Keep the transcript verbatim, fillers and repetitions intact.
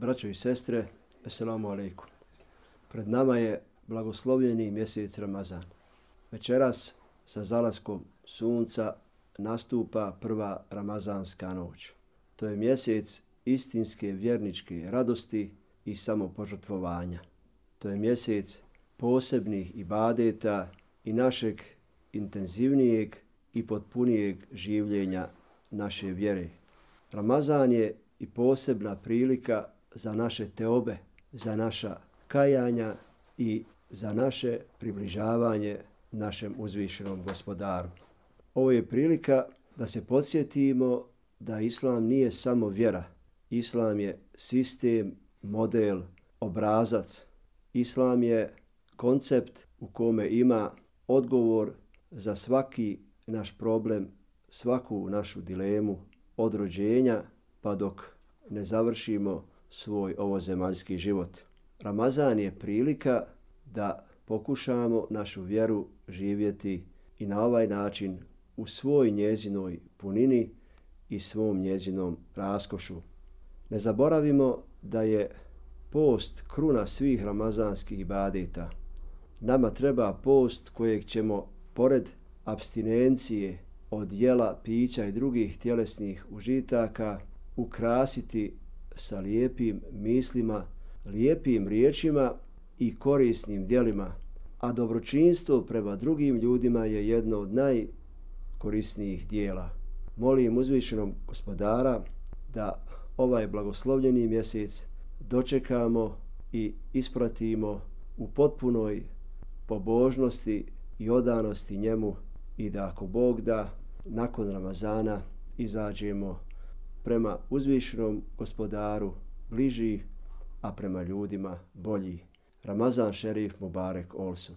Braćo i sestre, Esselamu alejkum. Pred nama je blagoslovljeni mjesec Ramazan. Večeras sa zalaskom sunca nastupa prva ramazanska noć. To je mjesec istinske vjerničke radosti i samopožrtvovanja. To je mjesec posebnih ibadeta i našeg intenzivnijeg i potpunijeg življenja naše vjere. Ramazan je i posebna prilika za naše teobe, za naša kajanja i za naše približavanje našem uzvišenom gospodaru. Ovo je prilika da se podsjetimo da Islam nije samo vjera. Islam je sistem, model, obrazac. Islam je koncept u kome ima odgovor za svaki naš problem, svaku našu dilemu od rođenja pa dok ne završimo svoj ovozemaljski život. Ramazan je prilika da pokušamo našu vjeru živjeti i na ovaj način u svoj njezinoj punini i svom njezinom raskošu. Ne zaboravimo da je post kruna svih ramazanskih ibadeta. Nama treba post kojeg ćemo pored apstinencije od jela, pića i drugih tjelesnih užitaka ukrasiti sa lijepim mislima, lijepim riječima i korisnim djelima, a dobročinstvo prema drugim ljudima je jedno od najkorisnijih dijela. Molim uzvišenog gospodara da ovaj blagoslovljeni mjesec dočekamo i ispratimo u potpunoj pobožnosti i odanosti njemu i da ako Bog da, nakon Ramazana izađemo prema uzvišenom gospodaru bliži, a prema ljudima bolji. Ramazan šerif Mubarek Olsun.